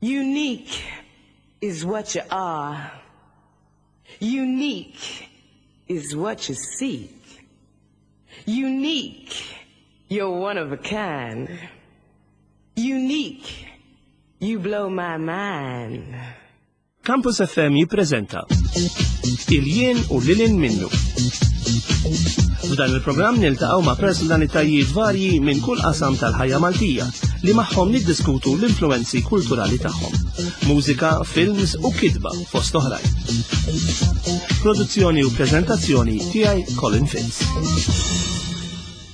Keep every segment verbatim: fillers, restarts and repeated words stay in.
Unique is what you are. Unique is what you seek. Unique, you're one of a kind. Unique, you blow my mind. Campus F M jippreżenta Il-Jien u Lil Hinn Minnu. F'dan il-programm niltaqgħu ma' personalitajiet varji minn kull qasam tal-ħajja Maltija li magħhom niddiskutu l-influenzi kulturali tagħhom. Mużika, films u kitba fost oħrajn. Produzzjoni u preżentazzjoni tiegħi, Colin Fitz.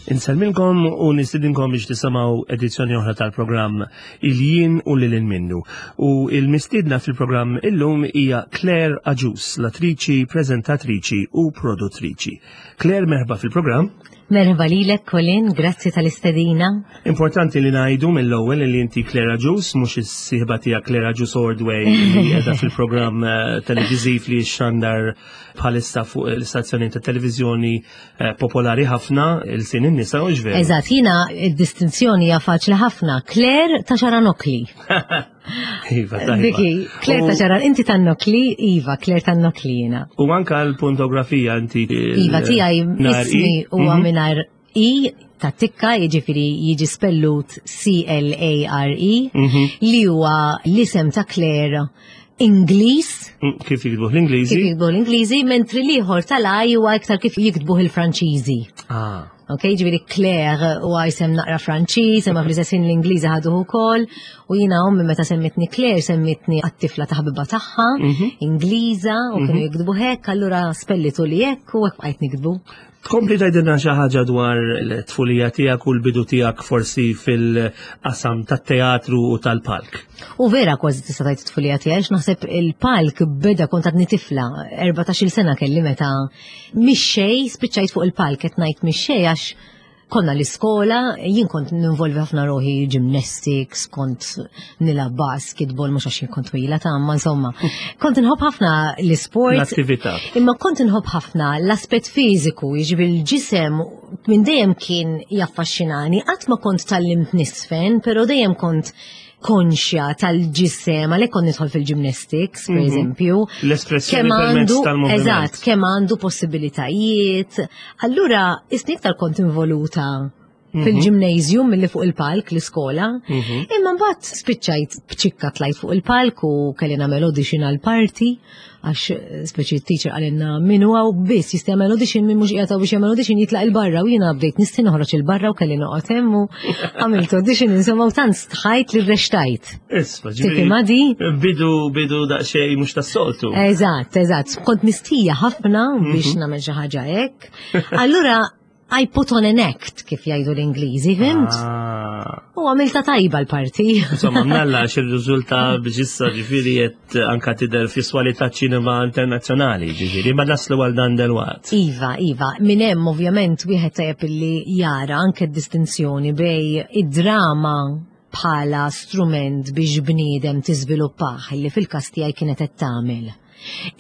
Insellmilkom u nistidinkom biex tisimgħu edizzjoni oħra tal-programm Il-Jien u Lil Hinn Minnu. U il-mistidna fil-programm illum hija Claire Agius, l-attriċi, prezentatriċi u produttriċi. Claire, merħba fil-programm. Merħba lilek, Colin, grazzi tal-istedina. Importanti li ngħidu mill-ewwel li inti Claire Agius, mhux is-sieħba tiegħek Claire Agius Ordway li qiegħda fil-programm eh, televiżiv li xandar bħalissa fuq l-istazzjoni ta' televiżjoni eh, popolari ħafna, Ilsien in-Nisa, u veru? Eżatt, jiena id-distinzjoni hija faċli ħafna. Claire ta' Xaranokli. Iva, tajba. Diki, Claire ta' Xaran, inti tan-Nokli, iva, Claire tan-Nokli jiena. U anka l-puntografija inti. Iva, tiegħi nar I. ismi huwa Mhm. mingħajr I ta' tikka, jiġifieri jiġi spellut C L A R E, Mhm. li huwa l-isem ta' Claire Ingliż, Mm, Kif jiktbuh l-Ingliżi? Kif jiktbuh l-Ingliżi, mentri l-ieħor tal-I huwa iktar kif jiktbuh il-Franċiżi. Ah. Ok, ġifieri Claire u isem naqra Franċiż, imma fl-istess ħin l-Ingliżi ħaduh ukoll, u jiena ommi meta semmitni Claire, semmitni għat-tifla ta' ħabiba tagħha, Mhm. Ingliża, u kienu jiktbu hekk, allura spellitu li hekk u hekk bqajt niktbu. Tkompli tgħidilna xi ħaġa dwar l-tfulija tiegħek u l-bidu tiegħek forsi fil-qasam tat-teatru u tal-palk. U vera kważi tista' tgħid it-tfulija tiegħi, għax naħseb il-palk beda kont għadni tifla, erbatax-il sena kelli meta mix-xejn spiċċajt fuq il-palk. Qed ngħid mix-xejn għax konna l-iskola, jien kont ninvolvi ħafna ruħi gymnastics, kont nilgħab basketball, mhux għax jien kont twila ta' ma insomma. Kont inħobb ħafna l-isport. L-attività. Imma kont inħobb ħafna l-aspett fiżiku, jiġifieri l-ġisem minn dejjem kien jaffaxxinani, qatt ma kont tgħallimt niżfen, però dejjem kont konxja tal-ġisem, għalhekk kont nidħol fil-gymnastics, per Mhm. eżempju. L-espressjoni Kemm permezz għandu, tal-moviment. eżatt, kemm għandu possibilitajiet. Allura, isni iktar kont involuta fil-gymnasium milli fuq il-palk l-iskola. Mhm. Imma mbagħad spiċċajt bċikka tlajt fuq il-palk u kelli nagħmel audition għal parti, għax eh, speċi teacher qalilna min huwa biss jista' jagħmel audition, min mhux qiegħed biex jagħmel audition jitlaq 'il barra, u jiena bdejt nisti noħroġ 'il barra u kelli noqgħod hemm u għamilt audition, insomma, u tant stħajt li rrextajt. Isma, Tifhimha di? Bidu, bidu daqsxejn mhux tas-soltu. Eżatt, eżatt. Kont mistija ħafna biex nagħmel xi ħaġa hekk. Allura I put on an act, kif jgħidu l-Ingliżi, fhimt? Ah. U għamilta tajba l-parti. Insomma, mnalla xir-riżulta biex issa ġifieri qed anka tidher fi swali ta' ċinema internazzjonali, ġifieri, ma naslu għal dan delwaqt. Iva, Iva, minn hemm ovvjament wieħed tajjeb illi jara anke d-distinzjoni bejn id-drama bħala strument biex bniedem tiżviluppah, li fil-każ tiegħi kienet qed tagħmel.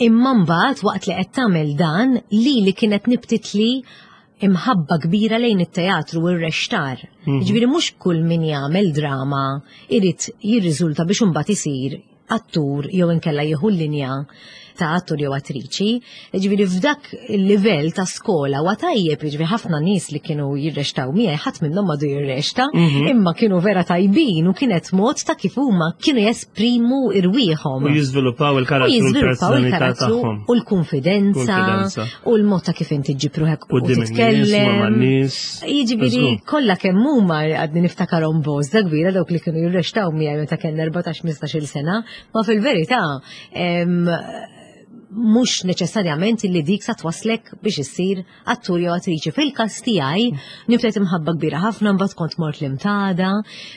Imma mbagħad waqt li qed tagħmel dan li li kienet nibtitli imħabba kbira lejn it-teatru u r-rextar. Ġifieri mhux kull min jagħmel drama irid jirriżulta biex imbagħad isir attur jew inkella jieħu l-linja ta' attur jew attriċi. Ġifieri f'dak il-livell ta' skola wa tajjeb, ġifieri ħafna nies li kienu jirrextaw miegħi ħadd minnhom madu jirrexta, imma kienu vera tajbin u kienet mod ta' kif huma kienu jesprimu irwieħhom. U jiżviluppaw U il-karattru, jiżviluppaw l-personalità il-karattru tagħhom. u l-konfidenza Konfidenza. u l-mod ta' kif inti ġġib ruħek u Quddiem in-nies, ma' titkellem. man-nies. Jiġifieri Żgur. kollha kemm huma għadni niftakarhom bożda kbira dawk li kienu jirrextaw miegħi meta kellna erbatax ħmistax-il sena, ma fil-verità em, mhux neċessarjament li dik sa twaslek biex issir attur jew attriċi. Fil-każ tiegħi nibtet imħabba kbira ħafna, mbagħad kont mort l-Imtada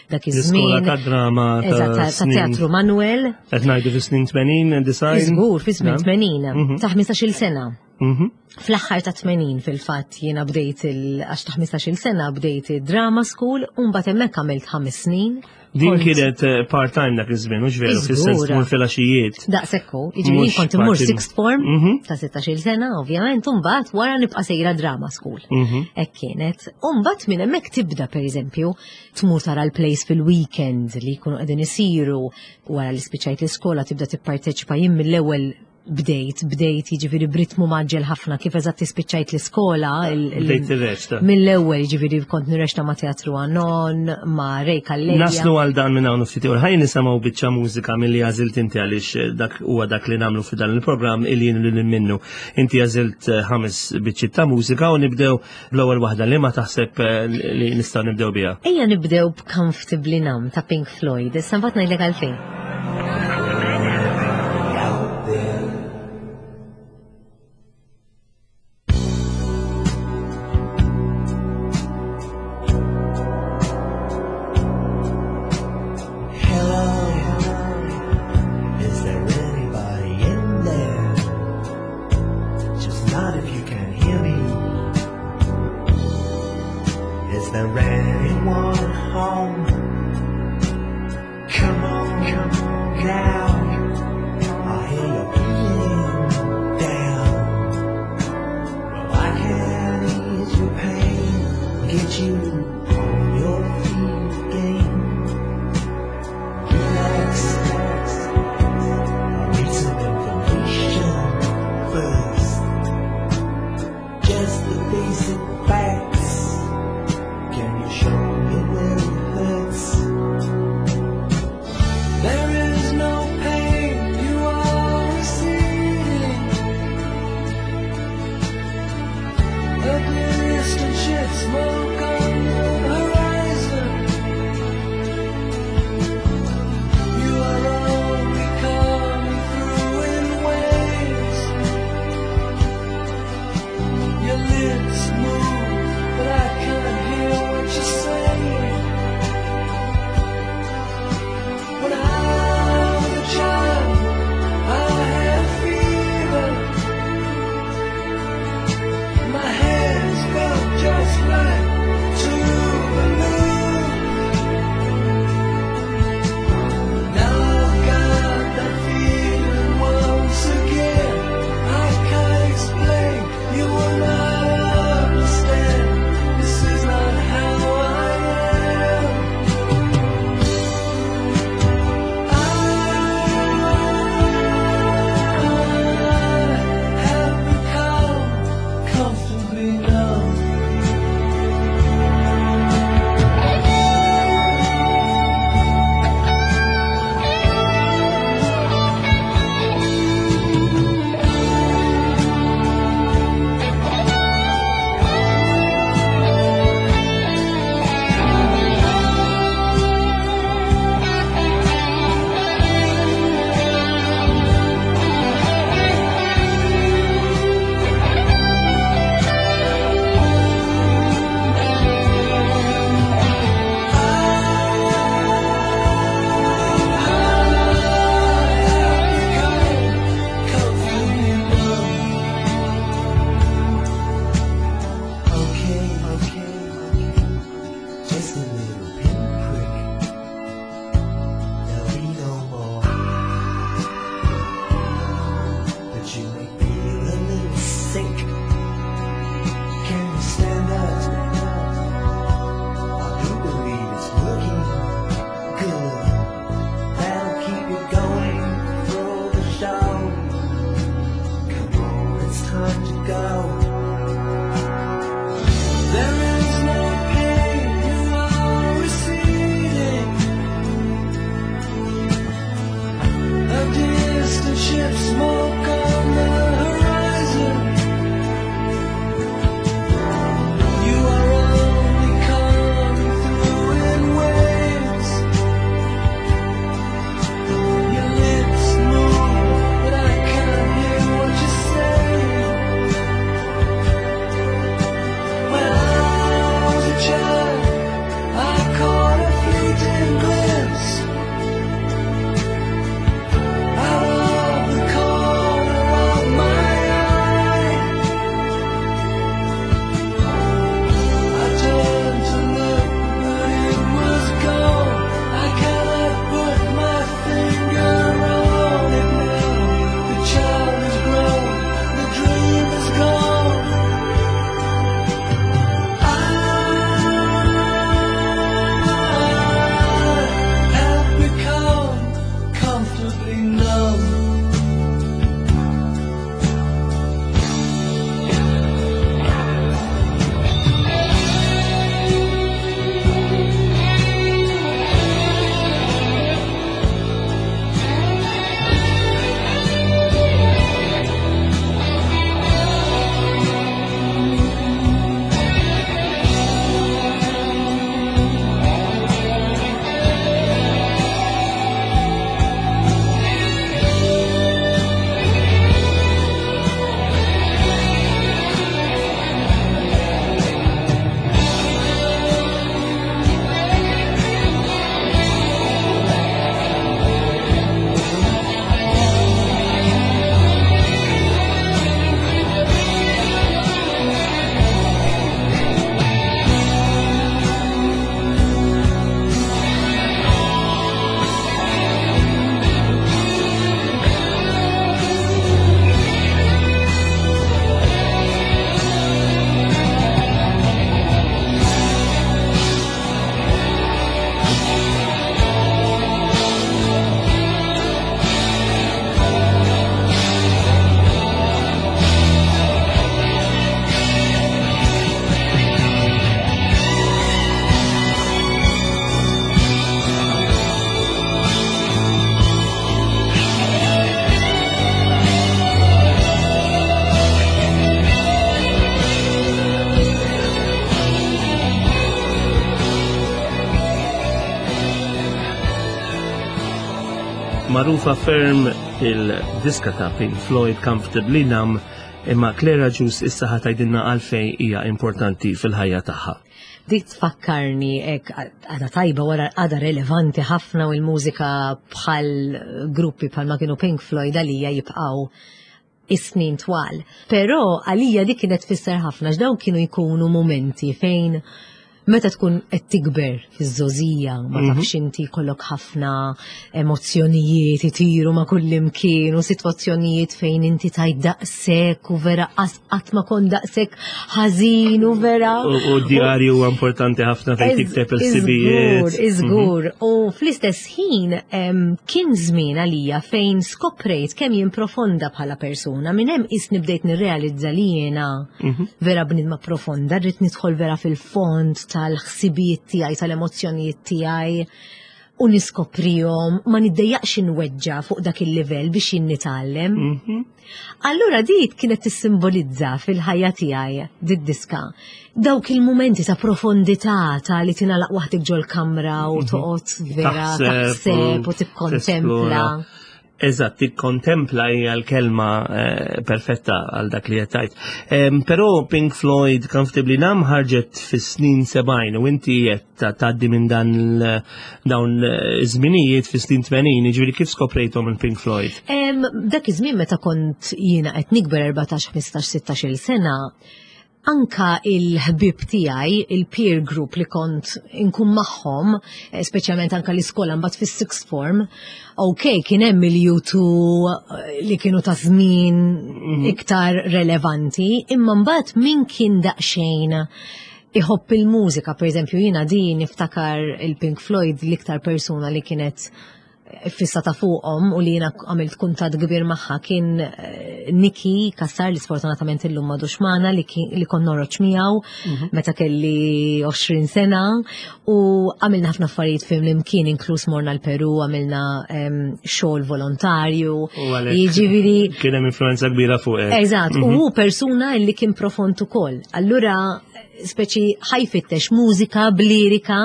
dak L-iskola iż-żmien. ta' drama ta' Eżatt, ta' snin. Teatru Manuel. Qed ngħidu fi snin tmenin, disgħin? Żgur, fi snin Na'm. tmenin, Mhm. ta' ħmistax-il sena. Mhm. Fl-aħħar ta' tmenin fil-fatt jiena bdejt il għax ta' ħmistax-il sena bdejt il-drama school u mbagħad hemmhekk għamilt ħames snin. Din kont- kienet eh, part-time dak iż-żmien, mhux veru, fis-sens Iżgura. tmur filgħaxijiet. Daqshekk hu, jiġifieri Mhux kont immur parti- sixth form Mhm. ta' sittax-il sena, ovvjament, u mbagħad wara nibqa' sejra drama school. Mhm. Hekk kienet. U mbagħad minn hemmhekk tibda pereżempju tmur tara l-plays fil-weekend li jkunu qegħdin isiru wara li spiċċajt l-iskola tibda tipparteċipa jien mill-ewwel bdejt, bdejt jiġifieri b'ritmu mgħaġġel ħafna kif eżatt spiċċajt l-iskola. il- il- Bdejt tirreċta. Mill-ewwel jiġifieri kont nirreċta ma' Teatru Anon, ma' Ray Calleja. Naslu għal dan minn hawn ftit ieħor. Ħajja nisimgħu biċċa mużika milli għażilt inti għaliex eh, dak huwa dak li nagħmlu fi dan il-programm il jien lil minnu. Inti għażilt eh, ħames biċċiet ta' mużika u nibdew bl-ewwel waħda li ma taħseb eh, li nistgħu nibdew biha. Ejja nibdew b'Comfortably Numb ta' Pink Floyd. Issa mbagħad ngħidlek għalfejn. Out there. Hello, is there anybody in there? Just nod if you can hear me. Is there anyone home? Come on, come on now. I hear you're feeling down. Well, I can ease your pain, get you on your feet again. Relax. I need some information first. Just the basic facts. Can you show me where it hurts? There is no pain, you are receding. A distant ship smoke on the horizon. You are only coming through in waves. Your lips move, but I can't hear what you're saying. When I was a child, I had a fever. My hands felt just like two balloons. Now I've got that feeling once again. I can't explain, you will not understand. This is not how I am. I have become comfortably numb. Okay, okay, just a little pinprick. There'll be no more. But you may feel a little sick. Can you stand up? I do believe it's working good. That'll keep you going through the show. Come on, it's time to go. There is no pain, you are receding. A distant ship smoke on the horizon. You are only coming through in waves. Your lips move, but I can't hear what you're saying. When I was a child, I caught a fleeting glimpse out of the corner. Magħrufa ferm il-diska ta' Pink Floyd, Comfortably Numb, imma Claire Agius issa ħa tgħidilna għalfejn hija importanti fil-ħajja tagħha. Dik tfakkarni ek għada tajba wara għada relevanti ħafna u l-mużika bħal gruppi bħal ma kienu Pink Floyd għalija jibqaw is-snin twal. Però għalija dik kienet tfisser ħafna, x'dawn kienu jkunu momenti fejn meta tkun qed tikber fiż-żgħożija, ma tafx inti jkollok ħafna emozzjonijiet itiru ma' kull imkien u sitwazzjonijiet fejn inti tajt daqshekk u vera qatt ma kont daqshekk ħażin u vera. U u djarju huwa importanti ħafna fejn tikteb il-ħsibijiet. Iżgur, iżgur. U fl-istess ħin em, kien żmien għalija fejn skoprejt kemm jien profonda bħala persuna. Minn hemm isni bdejt nirrealizza li jiena vera bnidma profonda, rrid nidħol vera fil-fond tal-ħsibijiet tiegħi, tal-emozzjonijiet tiegħi u niskoprihom, ma niddejjaqx inweġġa fuq dak il-livell biex jien nitgħallem. Allura dik kienet tissimbolizza fil-ħajja tiegħi did-diska. Dawk il-mumenti ta' profondità, ta' li tingħalaq waħdek ġol-kamra u toqgħod vera taħseb u tikkontempla. Tesplora. Eżatt, tikkontempla hija l-kelma eh, perfetta għal dak li qed tgħid. Em, Però Pink Floyd, Comfortably Numb ħarġet fis-snin sebgħin u inti qed ta- tgħaddi minn dan il- dawn eh, iż-żminijiet fis-snin tmenin, jiġifieri kif skoprejthom il-Pink Floyd? Em, dak iż-żmien meta kont jiena qed nikber erbatax, ħmistax, sittax-il sena, anka il-ħbib tiegħi, il-peer group li kont inkun magħhom, eh, speċjalment anka l-iskola mbagħad fis-sixth form, ok, kien hemm il-U two eh, li kienu ta' żmien iktar relevanti, imma mbagħad min kien daqsxejn iħobb il-mużika, per eżempju jiena di niftakar il-Pink Floyd, l-iktar persuna li kienet fissata fuqhom u li jiena għamilt kuntat kbir magħha kien eh, Niki Kassar, li sfortunatament illum m'għadux magħna, li, ki- li kont norroċ miegħu meta kelli għoxrin sena u għamilna ħafna affarijiet flimkien, inkluż morna l-Peru, għamilna em, xogħol volontarju. U għalhekk Jiġifieri kien hemm influenza kbira fuq. Eżatt, u hu persuna li kien profond ukoll. Allura speċi ħa jfittex mużika b'lirika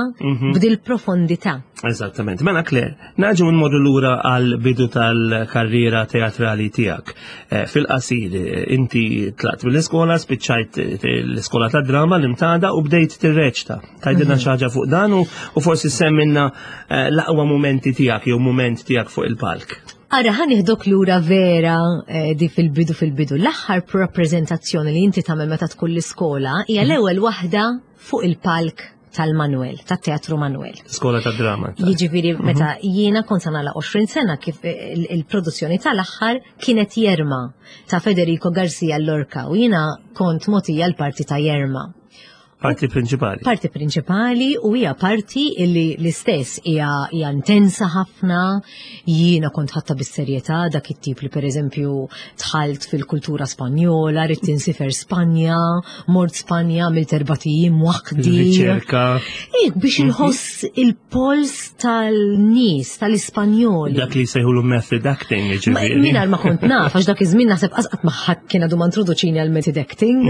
b'dil profondità. Eżattament. Mela Claire, nerġgħu nmorru lura għal bidu tal-karriera teatrali tiegħek. Eh, Fil-qasir, eh, inti tlaqt mill-iskola, spiċċajt eh, l-iskola ta' drama l-Imtada u bdejt tirreċta. Tgħidilna xi ħaġa fuq dan u u forsi semmilna eh, l-aqwa momenti tiegħek jew moment tiegħek fuq il-palk. Ara, ħa nieħdok lura vera eh, di fil-bidu fil-bidu. L-aħħar rappreżentazzjoni li inti tagħmel meta tkun l-iskola hija l-ewwel waħda fuq il-palk tal-Manuel, tat-Teatru Manuel. Skola ta' drama. Jiġifieri meta jiena kont sa nagħlaq għoxrin sena kif il- il-produzzjoni tal-aħħar kienet Yerma ta' Federico Garcia Lorca u jiena kont mogħtija l-parti ta' Yerma. Parti prinċipali. Parti prinċipali, u hija parti illi l-istess hija hija intensa ħafna, jiena kont ħadtha bis-serjetà, dak it-tip li pereżempju dħalt fil-kultura Spanjola, ridt insifer Spanja, mort Spanja, għamilt erbat ijiem waħdi. Riċerka. Ik, biex inħoss il-pols tal-nies, tal-Ispanjoli. Dak li sejħulu method acting, Ma- ġifieri. Mingħajr ma kont naf, għax dak iż-żmien naħseb qatt ma ħadd kien għadu ma introduċini għal method acting.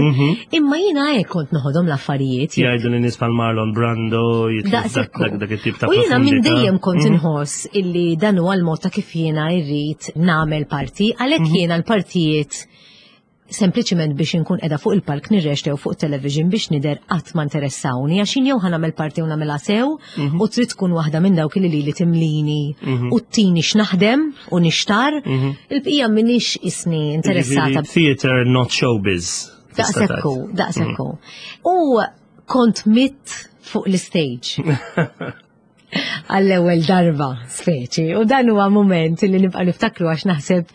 Imma jiena hekk kont noħodhom l-affarijiet. Jgħidu li nies bħal Marlon Brando, jitlu dak Daqsekku. dak- dak it-tip ta' U jiena minn profondità. dejjem kont inħoss illi dan huwa l-mod ta' kif jiena irrid nagħmel parti, għalhekk jiena l-partijiet sempliċiment biex inkun qiegħda fuq il-palk nirreċta jew fuq television biex nidher qatt ma interessawni, għax jien jew ħa nagħmel parti u nagħmilha sew u trid tkun waħda minn dawk li li timlini u ttini x'naħdem u nixtar, il-bqija m'iniex isni interessata. Ġifieri theater, not showbiz. Tista' Daqsekku, tgħid. Daqsekku. U kont mit fuq l-stage għall-ewwel darba, speċi. U dan huwa moment li nibqa' niftakru, għax naħseb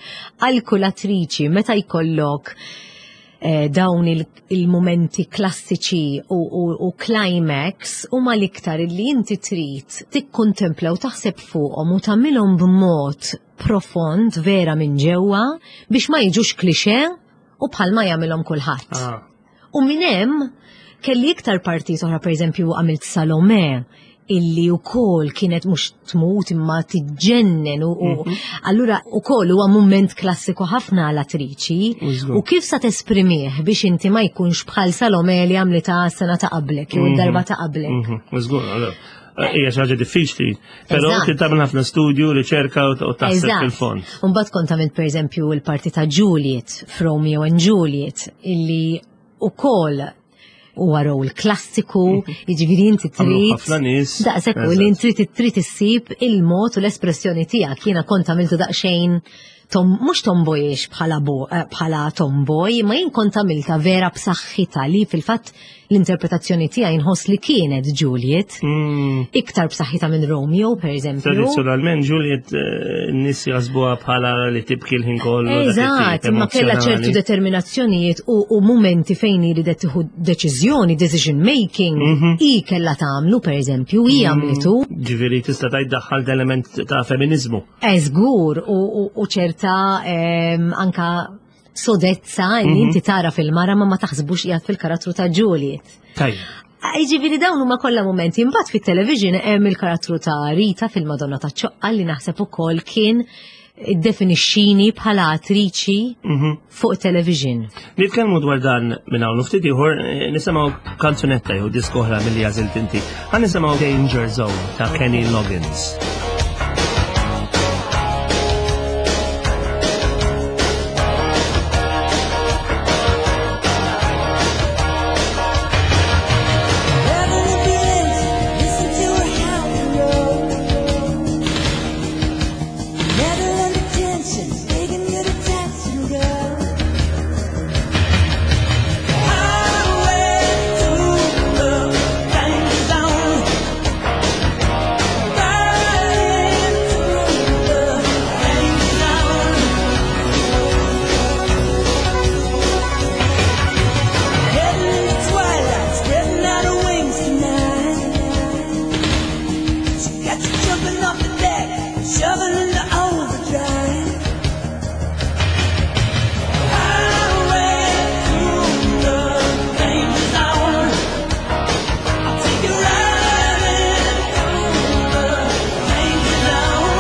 għal kull attriċi meta jkollok eh, dawn il- il-momenti klassiċi u, u, u climax huma l-iktar li inti trid tikkontempla u taħseb fuqhom u tagħmilhom b'mod profond vera minn ġewwa biex ma jiġux klixe u bħalma jagħmilhom kulħadd. Ah. U minn hemm kelli iktar partit oħra, pereżempju għamilt Salome, illi wkoll kienet mhux tmut imma tiġġennen u, u allura ukoll huwa mument klassiku ħafna għal attriċi Żgur. u kif sa tesprimih biex inti ma jkunx bħal Salome li għamlita sena ta' qablek jew darba ta' qablek. Mhm, Żgur, allora. Hija xi ħaġa diffiċli, però Eżatt. tagħmel ħafna studju, riċerka u u taħseb Eżatt. fil-fond. Mbagħad kont għamilt pereżempju il-parti ta' Juliet f'Romeo and Juliet illi ukoll huwa rol klassiku, jiġifieri inti Għamlu trid ħafna nies. Daqshekk u li Eżatt. trid trid issib il-mod u l-espressjoni tiegħek. Jiena kont għamiltu daqsxejn tom, mhux tomboyish bħala bo, eh, bħala tomboy, ma jien kont għamilta vera b'saħħitha li fil-fatt l-interpretazzjoni tiegħi nħoss li kienet Juliet, Mm. iktar b'saħħitha minn Romeo, per eżempju. Tradizzjonalment Juliet eh, n-nies jaħsbuha bħala li tibki l-ħin kollu. dak Eżatt, it-tip ma kellha ċertu emozjonali. determinazzjonijiet u, u momenti fejn iridet tieħu deċiżjoni, decision making, Mhm. i kellha tagħmlu per eżempju, i għamlitu. Ġifieri tista' tgħid daħħal element ta' feminizmu. Eżgur u, u, u ċerta em, anka sodezza li Mhm. inti tara fil-mara ma ma taħsbux qiegħed fil-karattru ta' Juliet. Tajjeb. Jiġifieri dawn huma kollha momenti. Imbagħad fit-television hemm il-karattru ta' Rita fil-Madonna ta' Ċoqqa li naħseb ukoll kien iddefinixxini bħala attriċi Mhm. fuq television. Nitkellmu dwar dan minn hawn u ftit ieħor eh, nisimgħu kanzunetta jew diska oħra milli għażilt inti. Ħa nisimgħu Danger Zone ta' Kenny Loggins. Heaven begins, listen to her hound roll. Metal under tension, begging you to touch and go. Highway to the danger zone. Riding through the danger zone. Heading in the twilight, spreading out her wings tonight. She got you jumping off the deck, shoving into overdrive. Highway through the danger zone. I'll take you riding through the danger zone.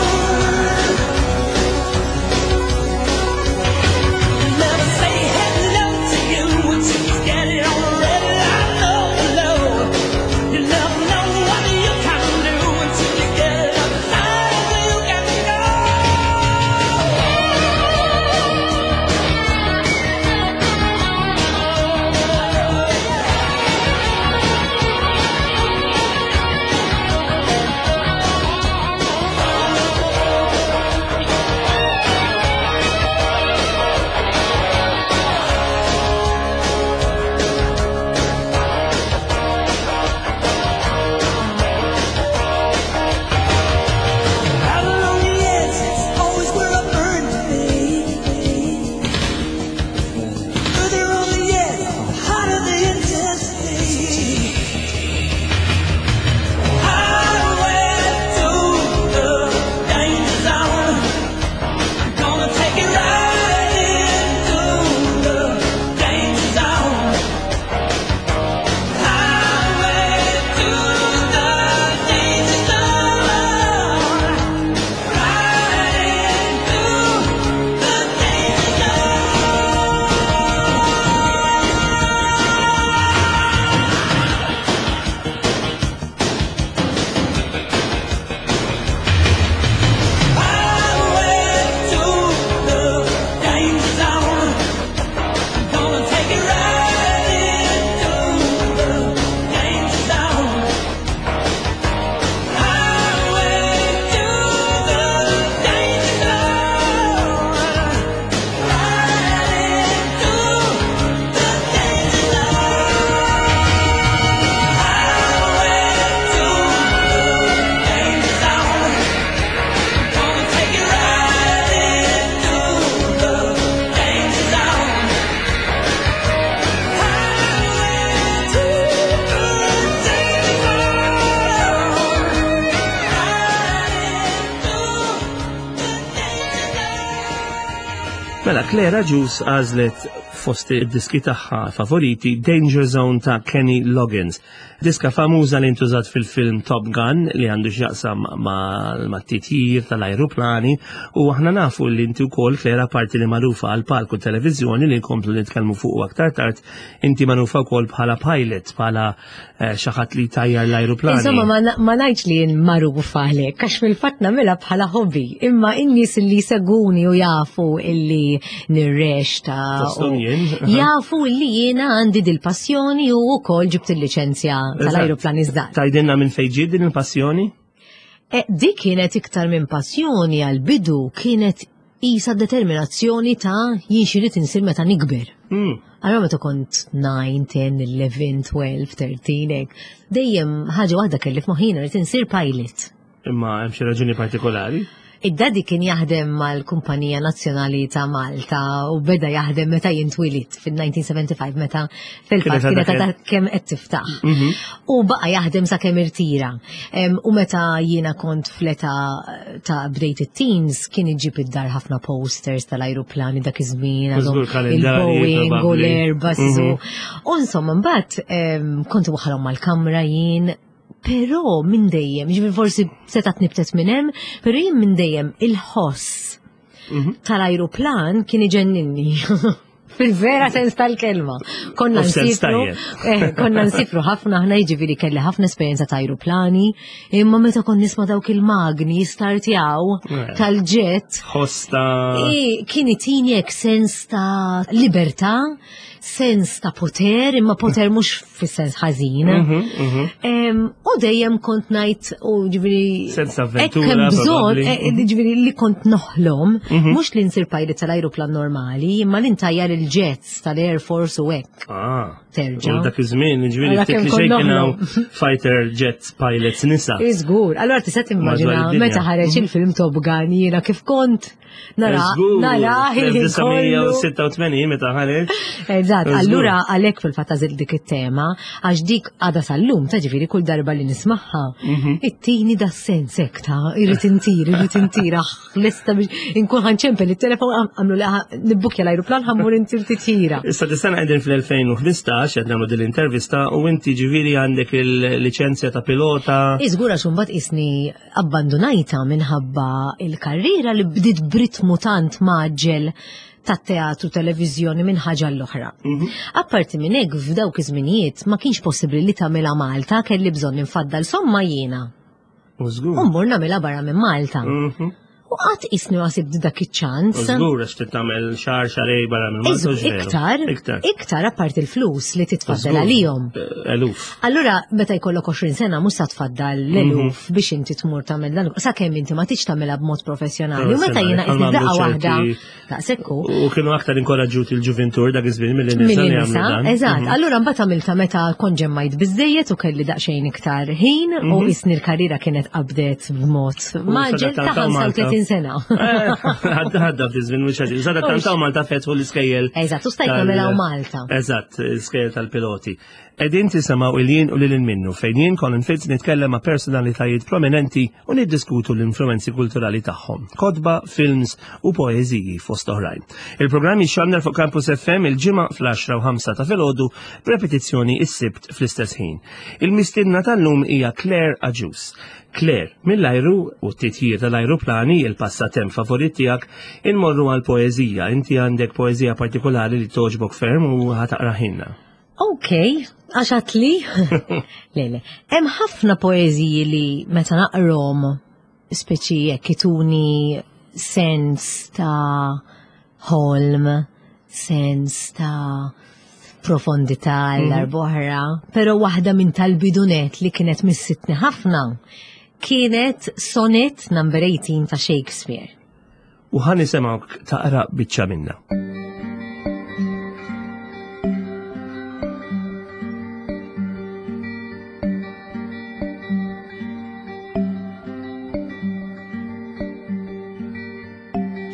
Never say hello to you until you get it on the red light, low, low. You never know what you can do until you get it on the side you can go. Out along the edge, it's always where I burn to be. Further on the edge, the hotter the intensity. Highway to the danger zone. Gonna take you right into the danger zone. Highway to the danger zone. Riding through the danger zone. Highway to the danger zone. Gonna take you right into the danger zone. Highway to the danger zone. Riding through the danger zone. Highway to the danger zone. Gonna take you right into the danger zone. Highway to the danger zone. Riding through the danger zone. Mela, Claire Agius għażlet fost id-diski tagħha favoriti Danger Zone ta' Kenny Loggins. Diska famuża li ntużat fil-film Top Gun li għandu x'jaqsam ma' titjir tal-ajruplani, u aħna nafu li inti wkoll, Claire, parti li magħrufa għal palku televiżjoni li nkomplu nitkellmu fuq aktar tard, inti magħrufa wkoll bħala pilot, bħala eh, xi ħadd li tajjar l-ajruplani. Insomma, ma ngħidx li jien magħrufa għalhekk, għax fil-fatt nagħmilha bħala hobby, imma in-nies li seguni u jafu illi nirreċta. Jafu illi jiena għandi dil-passjoni u wkoll ġibt il-liċenzja tal-ajruplan iżda. Tgħidilna minn fejn ġiet din il-passjoni? E, dik kienet iktar minn passjoni, għal-bidu kienet isa determinazzjoni ta' jien x'irid insir meta nikber. Hmm. Allora meta kont nine, ten, eleven, twelve, thirteen, dejjem ħaġa waħda kelli f'moħħi, rrid insir pilot. Imma hemm xi raġuni partikolari? Id-daddy kien jaħdem mal-Kumpanija Nazzjonali ta' Malta u beda jaħdem meta jien twelidt fil-elf disa' mija u ħamsa u sebgħin, meta fil-fatt kienet għadha kemm qed tiftaħ. Mhm. U baqa' jaħdem sa kemm irtira. U meta jiena kont fl-età ta' bdejt it-teens, kien iġib id-dar ħafna posters tal-ajruplani dak iż-żmien, il-Boeing u l-Airbus. Mhm. U insomma, mbagħad kont waħalhom mal-kamra jien. Però minn dejjem, ġifieri forsi setat nibtet minn hemm, però jien minn dejjem il-ħoss mhm. tal-ajruplan kien iġenninni. Fil-vera sens tal-kelma. Konna nsifru, eh, konna nsifru ħafna ħna, jiġifieri kelli ħafna esperjenza ta' ajruplani, imma meta kon nisma' dawk il-magni jistartjaw eh. tal-jet. Ħosta. Kien itini sens ta' libertà, sens ta' poter, imma poter mhux fis-sens ħażin. Mhm, mhm. U dejjem kont ngħid u ġifieri. Sens avventura. Bżonn, eh, ġifieri li kont noħlom, Mhm. mhux li nsir pilot tal-ajruplan normali, imma li ntajjar il-jets tal-Air Force u hekk. Ah. Terġa'. U dak iż-żmien, ġifieri Għala ftit kemm li kont xejn kien hawn noħlom. fighter jets pilots nisa. Iżgur, allora tista' timmaġina Madwar id-dinja. meta ħareġ il-film Top Gun jiena kif kont nara Żgur, nara il-ħin kollu. elf disa' mija u sitta u tmenin meta ħareġ. Eżatt, Żgur. allura għalhekk fil-fatt għażilt dik it-tema, għax dik għada sal-lum, ta' ġifieri kull darba li nismagħha, Mhm. ittini da sens hekk ta' irrid intir, irrid intir, aħ, lesta biex inkun ħa nċempel it-telefon, għamlu nibbukja l-ajruplan, ħa mmur intir titjira. Issa dis-sena qegħdin fl-elfejn u ħmistax, qed nagħmlu din l-intervista u inti ġifieri għandek il-liċenzja ta' pilota. Iżgur, għax mbagħad isni abbandonajta minħabba il-karriera li bdiet b'ritmu tant mgħaġġel tat-teatru, televiżjoni, minn ħaġa l-oħra. Mhm. Apparti minn hekk, f'dawk iż-żminijiet ma kienx possibbli li tagħmilha Malta, kelli bżonn infaddal somma jiena. U żgur. U mmur nagħmilha barra minn Malta. Mhm. U qatt isni ma sibt dak iċ-ċans. U żgur, għax trid tagħmel xahar, xahrejn barra minn Malta. Iżgur, u x'veru. iktar, Iktar. iktar apparti il-flus li titfaddal Żgur. għalihom. Eh, Eluf. Allura, meta jkollok għoxrin sena, mhux sa tfaddal l-eluf biex inti tmur tagħmel dan, sakemm inti ma tiġ tagħmilha b'mod professjonali. U meta jiena Professjonali, isni daqqa għamlu waħda, ċerti- daqshekk hu, U kienu aktar inkoraġġuti l-ġuvintur dak iż-żmien milli nisa Milli li jagħmlu nisa, dan. eżatt. Mhm. Allura mbagħad għamilta meta kont ġemmajt biżejjed u kelli daqsxejn iktar ħin u isni l-karriera kienet qabdet b'mod mgħaġġel ta' sadattant Malta. ħamsa u tletin sena. Eh, Għadda għadda ftit żmien mhux ħażin. Sadattant hawn Malta fetħu l-iskejjel. Eżatt, u stajt tal- nagħmilha Malta. Eżatt, l-iskejjel tal-piloti. Qegħdin tisimgħu il-jien u lil minnu fejn jien Colin Fitz nitkellem ma' personalitajiet prominenti u niddiskutu l-influenzi kulturali tagħhom. Kotba, films u poeżiji fost oħrajn. Il-programm jixxandar fuq Campus F M il-ġimgħa fl-għaxra u ħamsa ta' filgħodu, b'repetizzjoni is-Sibt fl-istess ħin. Il-mistiedna tal-lum hija Claire Agius. Claire, mill-ajru u t-titjir tal-ajruplani, il-passatemp favorit tiegħek, inmorru għal poeżija. Inti għandek poeżija partikolari li togħġbok ferm u ħa taqrahielna. Ok, għax għedtli. Le, le. Hemm ħafna poeżiji li meta naqrom speċi jekk ituni sens ta' ħolm, sens ta' profondità l-arboħra, pero waħda minn tal-bidu nett li kienet missitni ħafna kienet Sonnet number eighteen ta' Shakespeare. U ħa nisimgħuk taqra biċċa minna.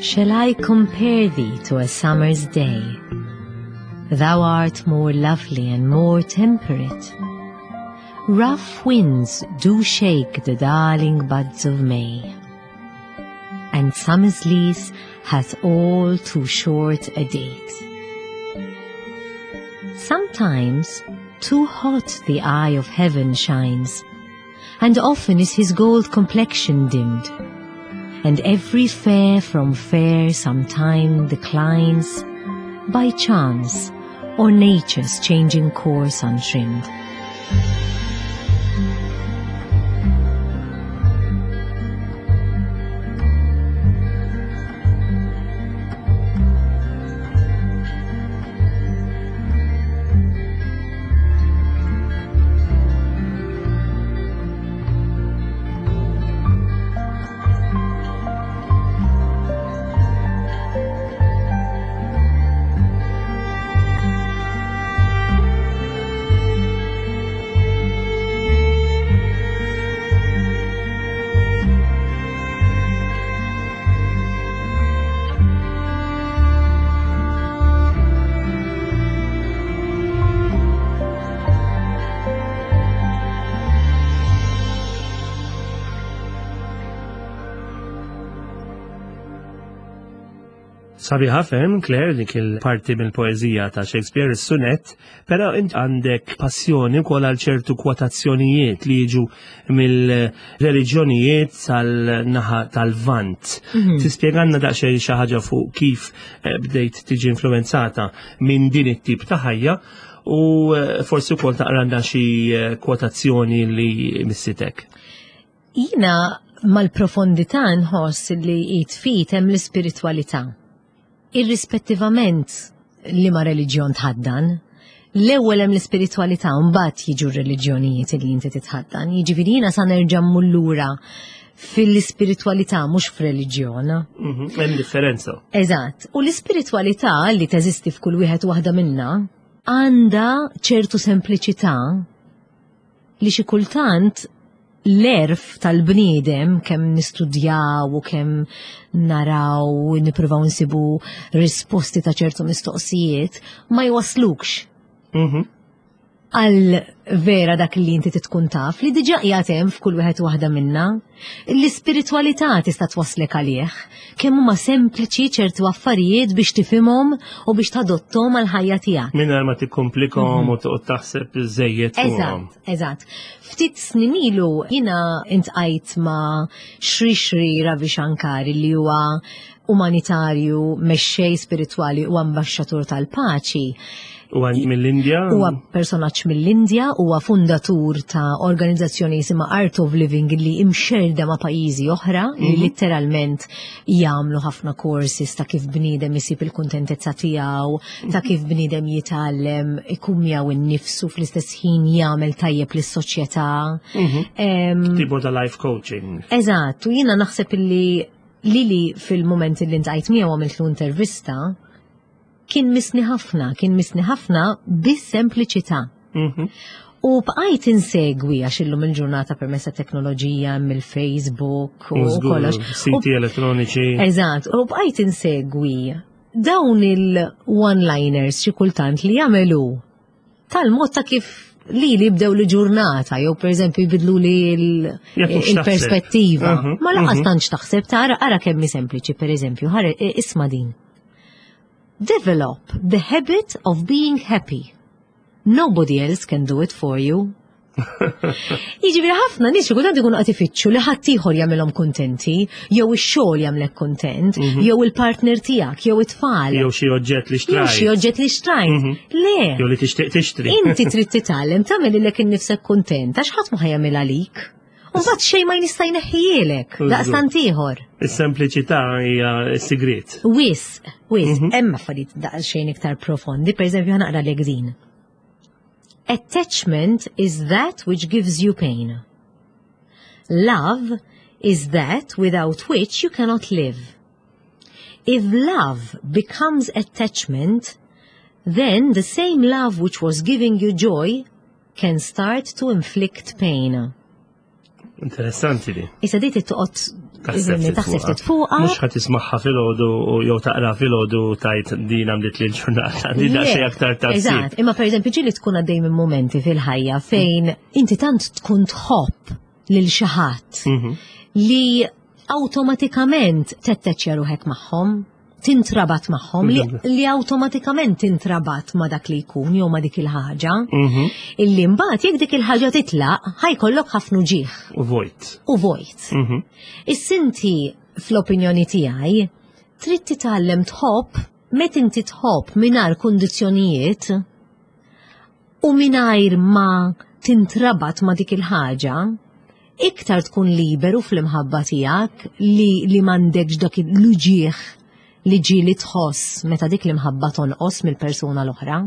Shall I compare thee to a summer's day? Thou art more lovely and more temperate. Rough winds do shake the darling buds of May, and summer's lease hath all too short a date. Sometimes too hot the eye of heaven shines, and often is his gold complexion dimmed, and every fair from fair sometime declines, by chance or nature's changing course untrimmed. Sabiħa ferm, Claire, dik il-parti mill-poezija ta' Shakespeare, is-sunet, però int għandek passjoni wkoll għal ċertu kwotazzjonijiet li jiġu mill-reliġjonijiet tal-naħa tal-Vant. Mhm. Tispjegalna daqsxejn xi ħaġa fuq kif eh, bdejt tiġi influenzata minn din it-tip ta' ħajja u eh, forsi wkoll taqranna xi eh, kwotazzjoni li missitek. Jina mal-profondità nħoss li jitfit hemm l-ispiritwalità. Irrispettivament li ma reliġjon tħaddan, l-ewwel hemm l-ispiritwalità u mbagħad jiġu r-reliġjonijiet li inti titħaddan. Jiġifieri jiena sa nerġa' mmur lura fil-ispiritwalità mhux f'reliġjon. Mhm, Hemm differenza. Eżatt. U l-ispiritwalità li teżisti f'kull wieħed u waħda minna għandha ċertu sempliċità li xi kultant l-erf tal-bniedem kemm nistudjaw u kemm naraw u nippruvaw nsibu risposti ta' ċertu mistoqsijiet ma jwaslukx Mhm. għal vera dak li inti titkun taf li diġà qiegħed hemm f'kull wieħed u waħda minna. L-ispiritwalità tista' twaslek għalih. Kemm huma sempliċi ċertu affarijiet biex tifhimhom u biex tadottom għal ħajja tiegħek. Mingħajr ma tikkomplikhom u toqgħod taħseb żejjed fuqhom. Eżatt, eżatt. Ftit snin ilu jiena intqajt ma' Shri Shri Ravi Shankar li huwa umanitarju, mexxej spiritwali u ambaxxatur tal-paċi. U għan mill-Indja? Huwa personaġġ mill-Indja, huwa fundatur ta' organizzazzjoni jisimha Art of Living li imxerda ma' pajjiżi oħra li letteralment jagħmlu ħafna courses ta' kif bniedem isib il-kuntentezza tiegħu, ta' kif bniedem jitgħallem ikun miegħu innifsu fl-istess ħin jagħmel tajjeb lis-soċjetà. Em, Tipo ta' life coaching. Eżatt, u jiena naħseb illi lili fil-moment li ntqajt miegħu għamiltlu intervista, kien misni ħafna, kien misni ħafna bis-sempliċità. Mhm. U bqajt insegwi għax illum il-ġurnata permezz ta' teknoloġija mill-Facebook u U żgur, kollox. U Siti elettroniċi. Eżatt, u bqajt insegwi dawn il-one-liners xi kultant li jagħmelu tal-mod ta' kif li li bdew li ġurnata, jew per eżempju jbidlu li l- Jekk mhux taħseb. il-perspettiva. Mhm, Ma laqas mhm. tantx taħseb tara ara kemm hi sempliċi, per eżempju, ħare isma' din. Develop the habit of being happy. Nobody else can do it for you. Jiġifieri ħafna nies xi kultant ikunu qed ifittxu li ħadd ieħor jagħmilhom kuntenti, jew ix-xogħol jagħmlek kuntent, jew il-partner tiegħek, jew it-tfal, Mhm. Jew xi oġġett li jew xi xtrajt. oġġett li xtrajt. Mhm. Le, Jew li tixtieq tixtri. inti trid titgħallem tagħmel lilek innifsek kuntent għax ħadd ma ħajjagħmel għalik. U mbagħad xejn ma jista' jneħħielek Żgur. daqstant ieħor. Is-sempliċità hija s-sigriet. Wis, wis, hemm affarijiet daqsxejn iktar profondi, pereżempju ħa naqra lek din. Attachment is that which gives you pain. Love is that without which you cannot live. If love becomes attachment, then the same love which was giving you joy can start to inflict pain. Interessanti li. Issa di toqgħod Taħseb ftit taħseb fuqha. ftit fuqha. Mhux ħadd tismagħha filgħodu u jew taqra filgħodu tajt din għamlet li l-ġurnata. Di daqsxejn aktar taħsib. Eżatt, imma per eżempju ġieli tkun għaddej minn momenti fil-ħajja fejn inti tant tkun tħobb lil xi ħadd Mhm. li awtomatikament tetteċja ruħek magħhom, tintrabat magħhom, li, li awtomatikament tintrabat ma' dak li jkun jew ma' dik il-ħaġa. Mhm. Illi mbagħad jekk dik il-ħaġa titlaq, ħa jkollok ħafna uġigħ U vojt. u vojt. Mhm. Is-sinti fl-opinjoni tiegħi trid titgħallem tħobb meta inti tħobb mingħajr kundizzjonijiet u mingħajr ma tintrabat ma' dik il-ħaġa, iktar tkun liberu fl-imħabba tiegħek li li m'għandekx dak l-uġigħ li ġieli tħoss meta dik l-imħabba tonqos mill-persuna l-oħra.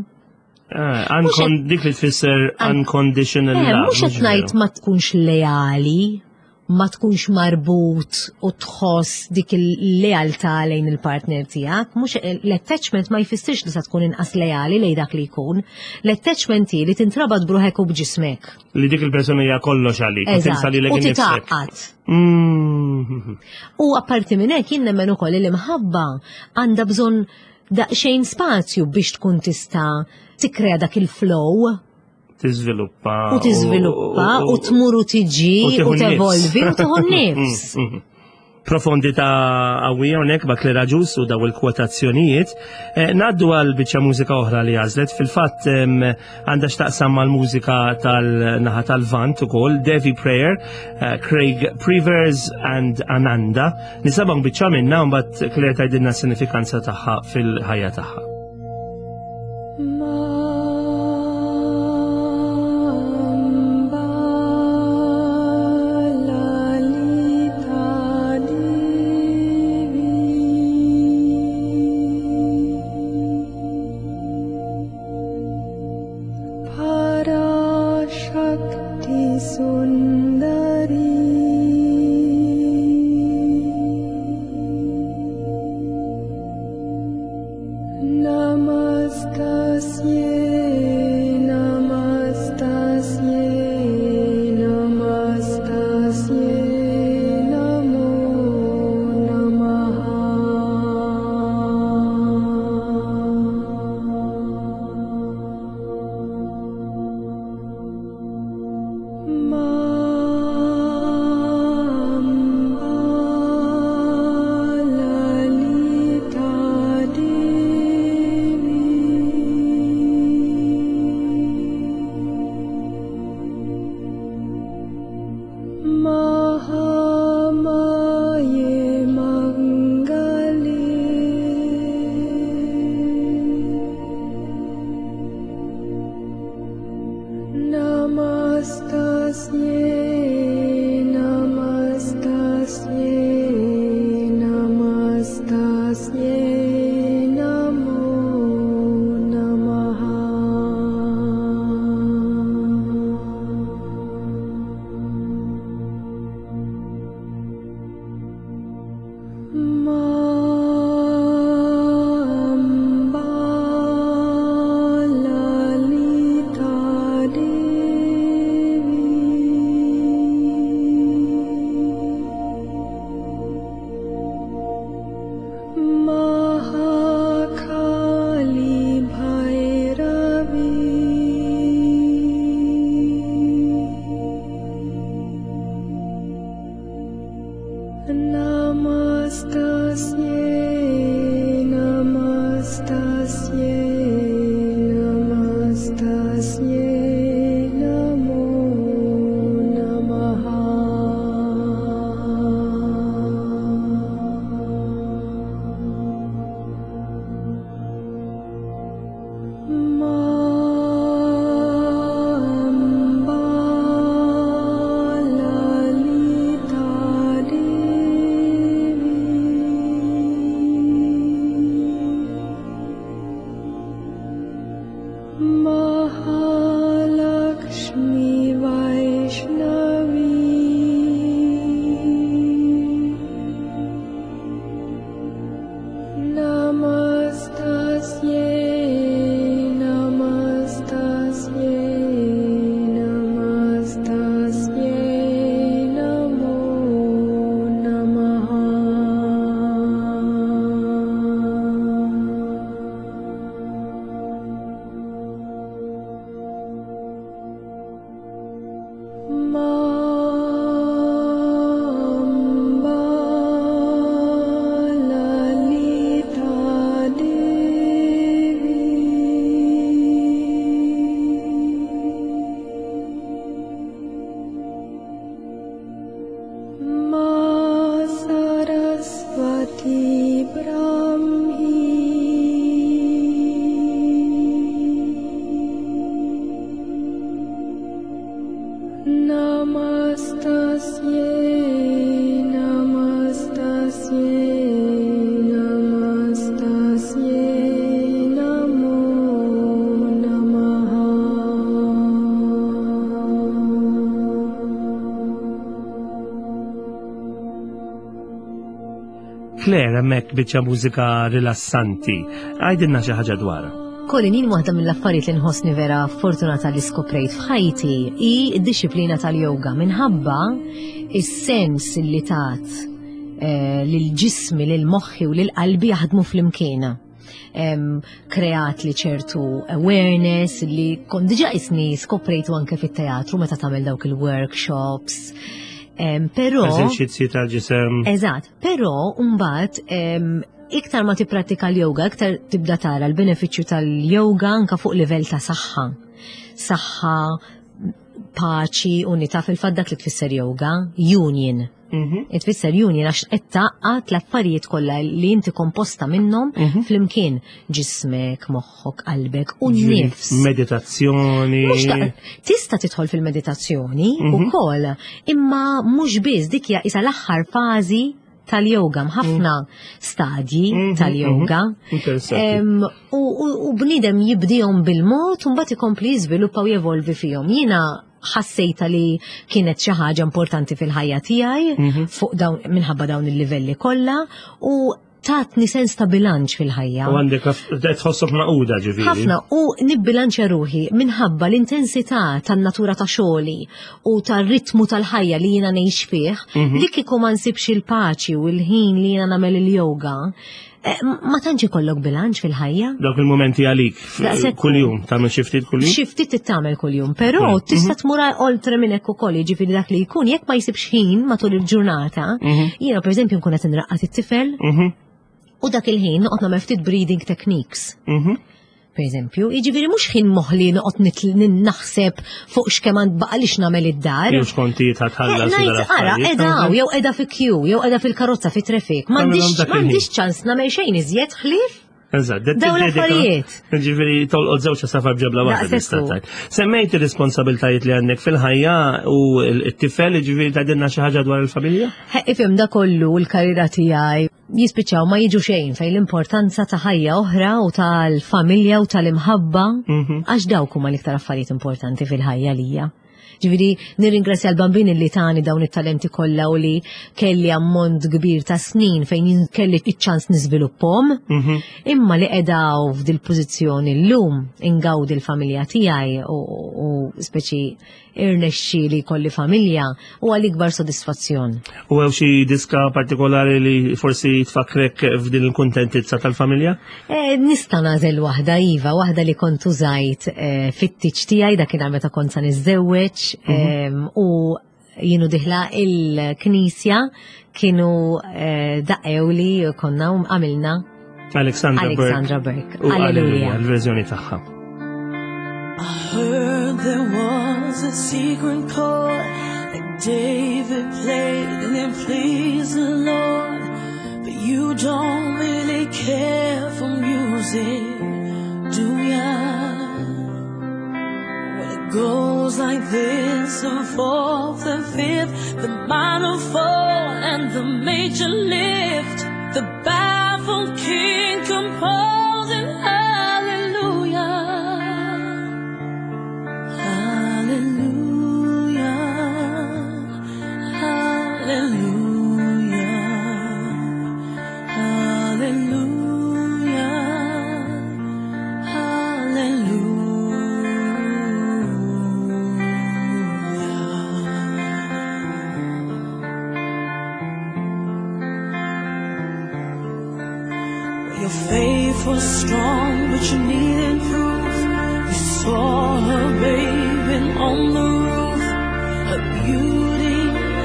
Ah, uncon- dik li tfisser unconditional Eh, love. mhux qed ngħid ma tkunx leali, ma tkunx marbut u tħoss dik il-lealtà lejn il-partner tiegħek, mhux l-attachment ma jfissirx li sa tkun inqas leali lejn dak li jkun. L-attachment hi li tintrabat bruħek u b'ġismek. Li dik il-persuna hija kollox għalik. U tinsa Eżatt, lilek u innifsek. titgħaqqad. Mm. U apparti minn hekk jien nemmen ukoll li l-imħabba għandha bżonn daqsxejn spazju biex tkun tista' tikkrea dak il-flow Tiżviluppa. u tiżviluppa u tmur u tiġi u tieħu u tevolvi u n-nifs. tieħu n-nifs. Mhm. Profondità qawwija hawnhekk ma' Claire Agius u daw il-kwotazzjonijiet. Eh, Ngħaddu għal biċċa mużika oħra li għażlet. Fil-fatt em, għandha x'taqsam mal-mużika tal-naħa tal-Vant ukoll, Devi Prayer, eh, Craig Prevers and Ananda. Nisimgħu biċċa minnha u mbagħad Claire tgħidilna s-sinifikanza tagħha fil-ħajja tagħha. Parashakti Sundari. Namastasye, namastasye, namastasye, namo namaha. Ma Lalita Devi. Brahmi Namastasye Namastasye Namastasye Namo Namaha. Claire, hemmhekk biċċa mużika rilassanti. Għidilna xi ħaġa dwarha. Colin, jien waħda mill-affarijiet li nħossni vera fortunata li skoprejt f'ħajti hi d-disciplina tal-yoga minħabba is-sens li tat eh, lil ġismi, lil moħħi u lil qalbi jaħdmu flimkien. Em, kreat li ċertu awareness li kont diġà isni skoprejtu anke fit-teatru meta tagħmel dawk il-workshops. Em, Però Eżerċizzji tal-ġisem. Eżatt, però mbagħad em, iktar ma tipprattika l-yoga, iktar tibda tara l-benefiċċju tal-yoga anka fuq livell ta' saħħa. Saħħa, paċi, unità, fil-fatt dak li tfisser yoga, union. Mhm. Tfisser union għax qed tgħaqqad l-affarijiet kollha li inti komposta minnhom Mhm. flimkien, ġismek, moħħok, qalbek u Ġifieri n-nifs. Meditazzjoni. Mhux ta' tista' tidħol fil-meditazzjoni Mhm. ukoll, imma mhux biss, dik hija isa l-aħħar fażi tal-yoga, ħafna stadji Mhm, tal-yoga. mhm. Interessanti. Em, U, u, u bniedem jibdihom bil-mod u mbagħad ikompli jiżviluppa u jevolvi fihom. Jiena ħassejta li kienet xi ħaġa importanti fil-ħajja tiegħi Mhm. fuq dawn minħabba dawn il-livelli kollha u tatni sens ta' bilanċ fil-ħajja. U għandek tħossok maquda ġifieri. Ħafna, u nibbilanċja ruħi minħabba l-intensità tan-natura ta' xogħli u tar-ritmu tal-ħajja li jiena ngħix fih, Mhm. li kieku ma nsibx il-paċi u l-ħin li jiena nagħmel il-yoga, eh, ma tantx ikollok bilanċ fil-ħajja. Dawk il-momenti għalik f- Daqshekk. kuljum, tagħmel xi ftit kuljum? Xi ftit tittamel kuljum, però Mhm. tista' tmur oltre minn hekk ukoll, jiġifieri dak li jkun jekk ma jsibx ħin matul il-ġurnata, Mhm. jiena pereżempju nkun qed inraqqad it-tifel Mhm. u dak il-ħin noqgħod nagħmel ftit breathing techniques. Mhm. Per eżempju, jiġifieri mhux ħin moħli noqgħod nitl- nin- naħseb fuq x'kemm għand baqa' lix nagħmel id-dar. Jew xkontijiet ħatħallas. Eh, Ngħid ara, qiegħda hawn, jew qiegħda fi queue, jew qiegħda fil-karozza fi traffic. M'għandix Tagħmilhom dak il-ħin. m'għandix ċans nagħmel xejn iżjed ħlief Eżatt, det- dawn tiddedika- l-affarijiet. Ġifieri tolqot żewġ safar b'ġebla waħda Daqshekk tista' hu. tgħid. Semmejt ir-responsabiltajiet li għandek fil-ħajja u t-tifel, ġifieri tgħidilna xi ħaġa dwar il-familja? He, Ifhem da kollu l-karriera tiegħi jispiċċaw ma jiġu xejn fejn l-importanza ta' ħajja oħra u tal-familja u tal-imħabba Mhm. għax dawk huma l-iktar affarijiet importanti fil-ħajja lija. Ġifieri nirringrazzja l-bambini li tani dawn it-talenti kollha u li kelli ammont kbir ta' snin fejn jien kelli iċ-ċans niżviluppahom. Mhm. Imma li qedaw f'dil pożizzjoni llum ingawdi l-familja tiegħi u, u speċi irnexxi li kolli familja u għal ikbar sodisfazzjon. U hemm xi diska partikolari li forsi tfakrek f'din il-kuntentizza tal-familja? E, nista' nagħżel waħda iva, waħda li kont użajt e, fit-tieġ tiegħi dakinhar meta kont sa niżżewweġ em, u jienu dieħla il-knisja kienu e, daqqew li konna u għamilna Alexandra Burke. Alexandra Burke. U Alleluja, Alleluja. l-verżjoni tagħha. I heard there was a secret chord that David played and it pleased the Lord. But you don't really care for music, do ya? Well, it goes like this, the fourth and fifth, the minor fall and the major lift, the baffled king composing hallelujah. Hallelujah, hallelujah, hallelujah, hallelujah. Your faith was strong, but you needed proof. You saw her bathing on the roof, her beauty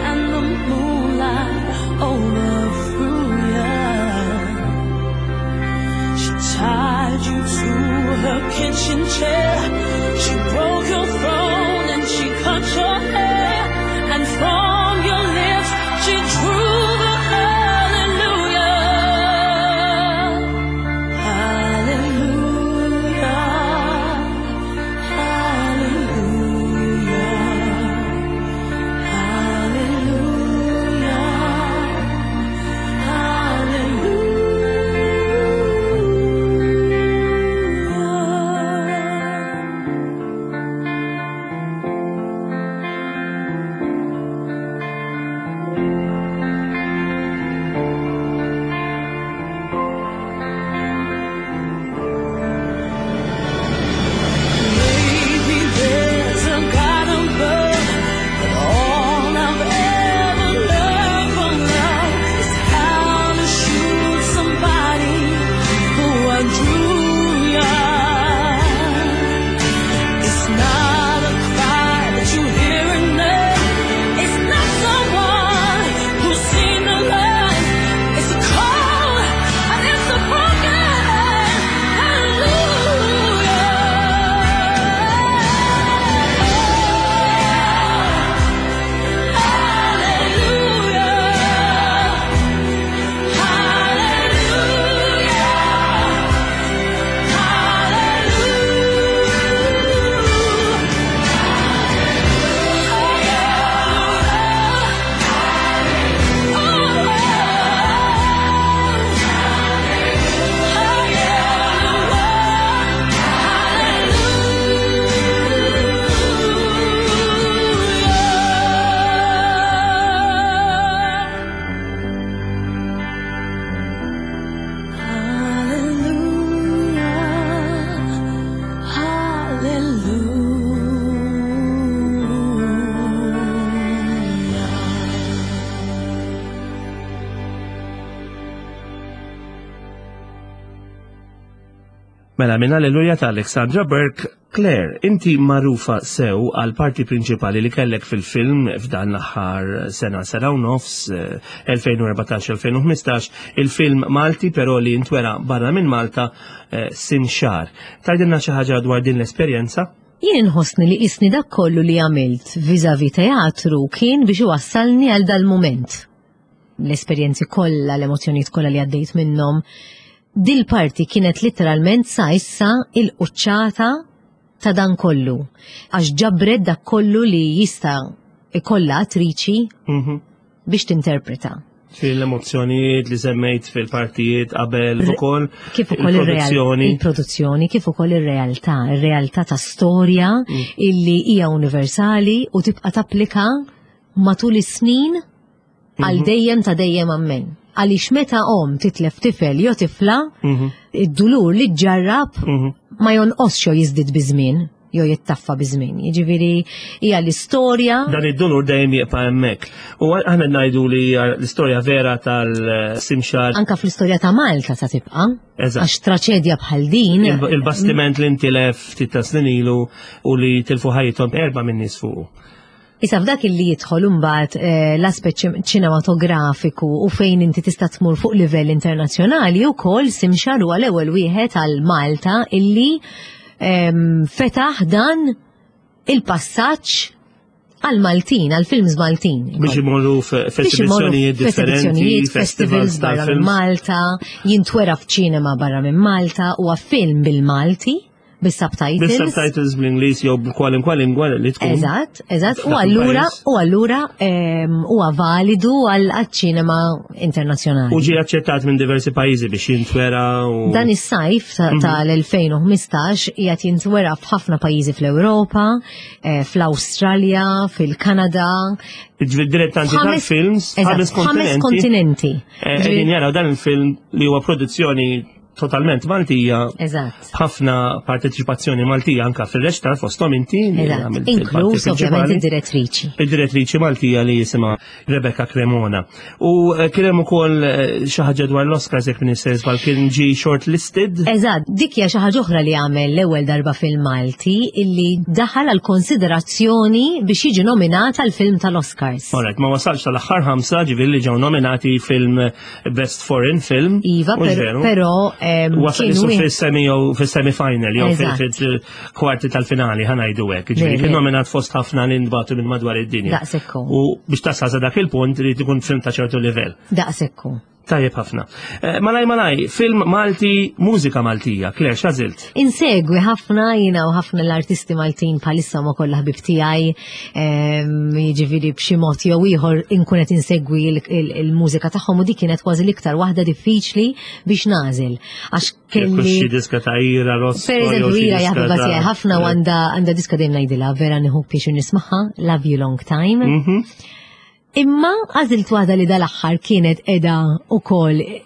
and the moonlight overthrew ya. She tied you to her kitchen chair. She broke your throne and she cut your hair. And from your lips she drew the hallelujah. Mela minn Alleluja ta' Alexandra Burke, Claire, inti magħrufa sew għal parti prinċipali li kellek fil-film f'dan l-aħħar sena sena u nofs, eh, elfejn u erbatax elfejn u ħmistax, il-film Malti però li intwera barra minn Malta, eh, Simxar. Tgħidilna xi ħaġa dwar din l-esperjenza? Jien inħossni li isni dak kollu li għamilt vis-à-vis teatru kien biex iwassalni għal dal-moment. L-esperjenzi kollha, l-emozzjonijiet kollha li għaddejt minnhom. Dil-parti kienet literalment sa issa il-quċċata ta' dan kollu. Għax ġabret dak kollu li jista' ikollha attriċi Mhm. biex tinterpreta. Fil-emozzjonijiet li semmejt fil-partijiet qabel ukoll Kif ukoll il-produzzjoni. Il-produzzjoni, kif ukoll ir-realtà, ir-realtà ta' storja Mm. illi hija universali u tibqa' tapplika matul is-snin għal Mhm. dejjem ta' dejjem ammen. Għaliex meta om titlef tifel jew tifla, Mhm. id-dulur li ġarrab Mhm. ma jonqosx jew jiżdied biż-żmien jew jittaffa biż-żmien. Jiġifieri hija l-istorja. Dan id-dulur dejjem jibqa' hemmhekk. U aħna ngħidu li hija l-istorja vera tal-Simxar. Anka fl-istorja ta' Malta ta' tibqa'. Eżatt. Għax traċedja bħal din. Il- Il-bastiment li ntilef ftit ta' snin ilu u li tilfu ħajjithom erba' minn nies fuqu. Issa f'dak illi jidħol imbagħad eh, l-aspett ċim- ċinematografiku u fejn inti tista' tmur fuq livell internazzjonali, wkoll Simxar huwa l-ewwel wieħed għal Malta illi ehm, fetaħ dan il-passaġġ għal Maltin, għal films Maltin. Biex imorru Biex imorru f'esibizzjonijiet differenti, f'esibizzjonijiet, festivals festivals barra minn tal-films. Malta, jintwera f'ċinema barra minn Malta, huwa film bil-Malti, bis-subtitles. Bis-subtitles bl-Ingliż jew b'kwalunkwe lingwa li tkun. Eżatt, eżatt. U F'dak allura, il-pajjiż. u allura ehm, huwa validu għal ċinema internazzjonali. U ġie aċċettat minn diversi pajjiżi biex jintwera u. Dan is-sajf ta- Mhm. tal-elfejn u ħmistax qiegħed jintwera f'ħafna pajjiżi fl-Ewropa, eh, fl-Awstralja, fil-Kanada. Ġifieri dilettanti Ħames- tal-films, Eżatt, ħames ħames kontinenti. kontinenti. Eh, Qegħdin jaraw dan il-film li huwa produzzjoni totalment Maltija, Eżatt. ħafna parteċipazzjoni Maltija anka fil-reċtar, fosthom inti li Eżatt. għamilt il-parti Inkluż ovvjament prinċipali. id-direttriċi. Id-direttriċi Maltija li jisimha Rebecca Cremona. U eh, kien hemm ukoll eh, xi ħaġa dwar l-Oscars, jekk Minister żball, kien ġi shortlisted. Eżatt, dik hija xi ħaġa oħra li għamel l-ewwel darba fil-Malti illi daħal għal konsiderazzjoni biex jiġi nominat għal film tal-Oscars. Alright, ma wasalx tal-aħħar ħamsa, ġifieri li ġew nominati film Best Foreign Film. Iva, Mhux per- veru? però em, Wasal kien isu wieħed- fis-semi jew fis-semi-final jew Eżatt. fil-kwarti tal-finali, ħa ngħidu hekk. Ġifieri Veri. kien nominat fost ħafna li nbagħtu minn madwar id-dinja. Daqshekk hu. U biex tasal sa dak il-punt irid ikun film ta' ċertu livell. Daqshekk hu. Tajjeb ħafna. Eh, Malaj malaj, film Malti, mużika Maltija. Claire, x'għażilt? Insegwi ħafna jina u ħafna l-artisti Maltin bħalissa ma kollha ħbib tiegħi, ehm, jiġifieri b'xi mod jew ieħor inkun qed insegwi il- il- il-mużika tagħhom u dik kienet kważi l-iktar waħda diffiċli biex nagħżel. Għax Jekk kelli xi diska ta' Ira Losco. Per jew eżempju, xi Ira diska jaħbiba ta' tiegħi ħafna u għandha għandha diska dejjem ngħidilha vera nieħu pjaċir nismagħha, Love You Long Time. Mhm. Imma għażilt waħda li dal-aħħar kienet qiegħda ukoll eh,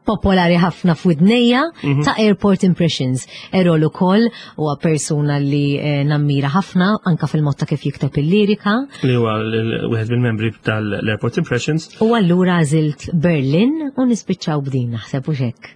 popolari ħafna f'widnejja, Mhm. ta' Airport Impressions. Errol ukoll huwa persuna li eh, nammira ħafna anka fil-mod ta' kif jikteb il-lirika. Li huwa l- wieħed mill-membri tal-Airport Impressions. U allura għażilt Berlin u nispiċċaw b'din, naħseb u hekk.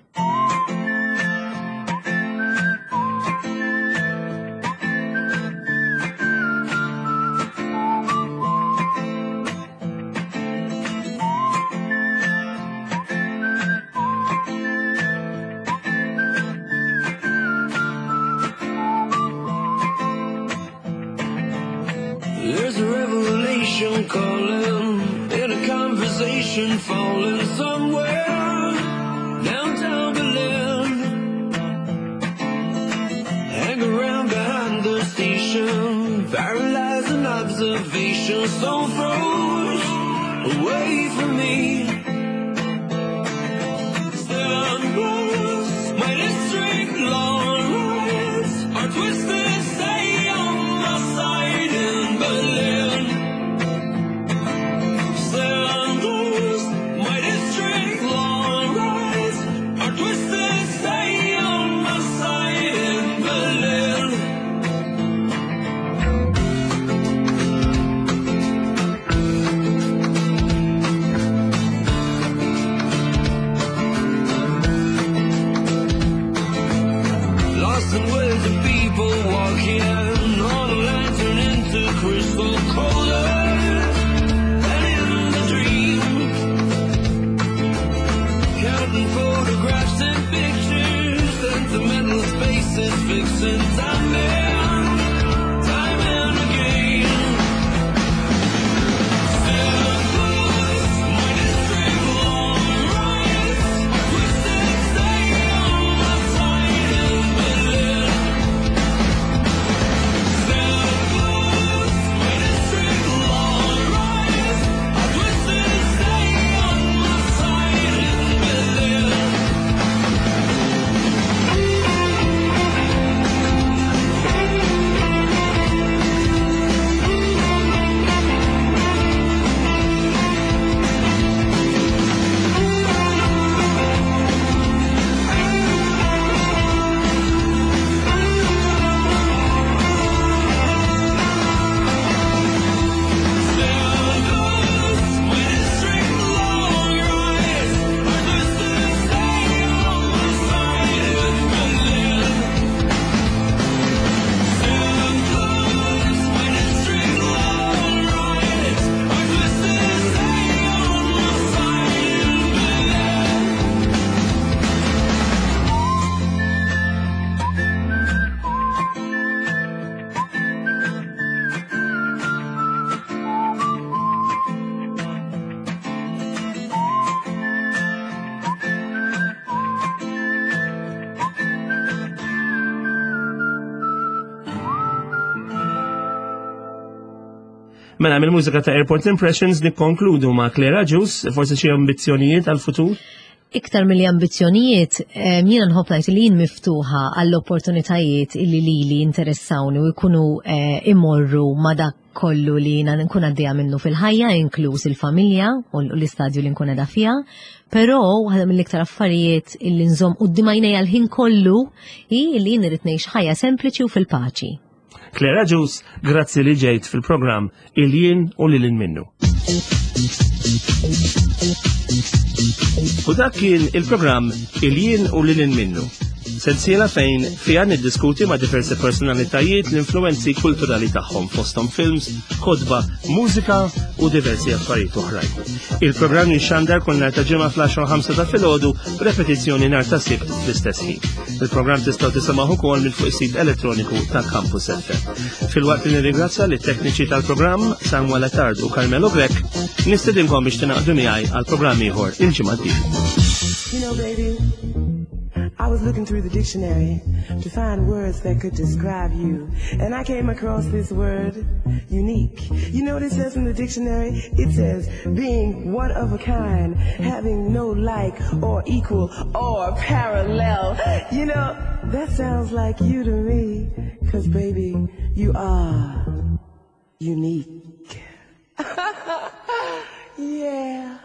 There's a revelation calling in a conversation falling somewhere downtown Berlin. Hang around behind the station, paralyzing observation, so froze away from me. Seven rows, my district long lines are twisted, stay on my side in Berlin. Seven rows, my district long lines are twisted, stay on my side in Berlin. thousand words of people walking on a line turn into crystal colder than in the dream. Counting photographs and pictures, sentimental spaces, fixing time and time and again. My district long rides are twisted, stay on my side in Berlin. My district long rides are twisted, stay on my side in Berlin. My district long rides are twisted, stay on my side in Berlin. My district long rides are twisted, stay on my side in Berlin. Mela mill-mużika ta' Airport Impressions nikkonkludu ma' Claire Agius, forsi xi ambizzjonijiet għal-futur? Iktar mill ambizzjonijiet, em, jiena nħobb ngħid li jien miftuħa għall-opportunitajiet illi lili interessawni u jkunu eh, imorru ma' dak kollu li jiena nkun għaddejja minnu fil-ħajja, inkluż il-familja u l-istadju li nkun qiegħda fiha. Però waħda mill-iktar affarijiet illi nżomm quddiem għajnejja l-ħin kollu hi li jien irid ngħix ħajja sempliċi u fil-paċi. Claire Agius, grazzi li ġejt fil-programm Il-Jien u Lil Hinn Minnu. U dak kien il-programm Il-Jien u Lil Hinn Minnu. Sensiela fejn fija niddiskuti ma' diversi personalitajiet l-influenzi kulturali tagħhom fosthom films, kotba, mużika u diversi affarijiet oħrajn. Il-programm jixxandar kull nhar ta' ġimgħa fl-għaxra u ħamsa ta' filgħodu, repetizzjoni nhar ta' Sibt fl-istess ħin. Il-programm tistgħu tisimgħu ukoll minn fuq is-sit elettroniku ta' Campus F M. Filwaqt li nirringrazzja lit-tekniċi tal-programm Samuel Attard u Carmelo Grech, nistedinkom biex tingħaqdu miegħi għal programm ieħor il-ġimgħa d-dieħla. You know, baby, I was looking through the dictionary to find words that could describe you. And I came across this word, unique. You know what it says in the dictionary? It says being one of a kind, having no like or equal or parallel. You know, that sounds like you to me. 'Cause, baby, you are unique. Yeah.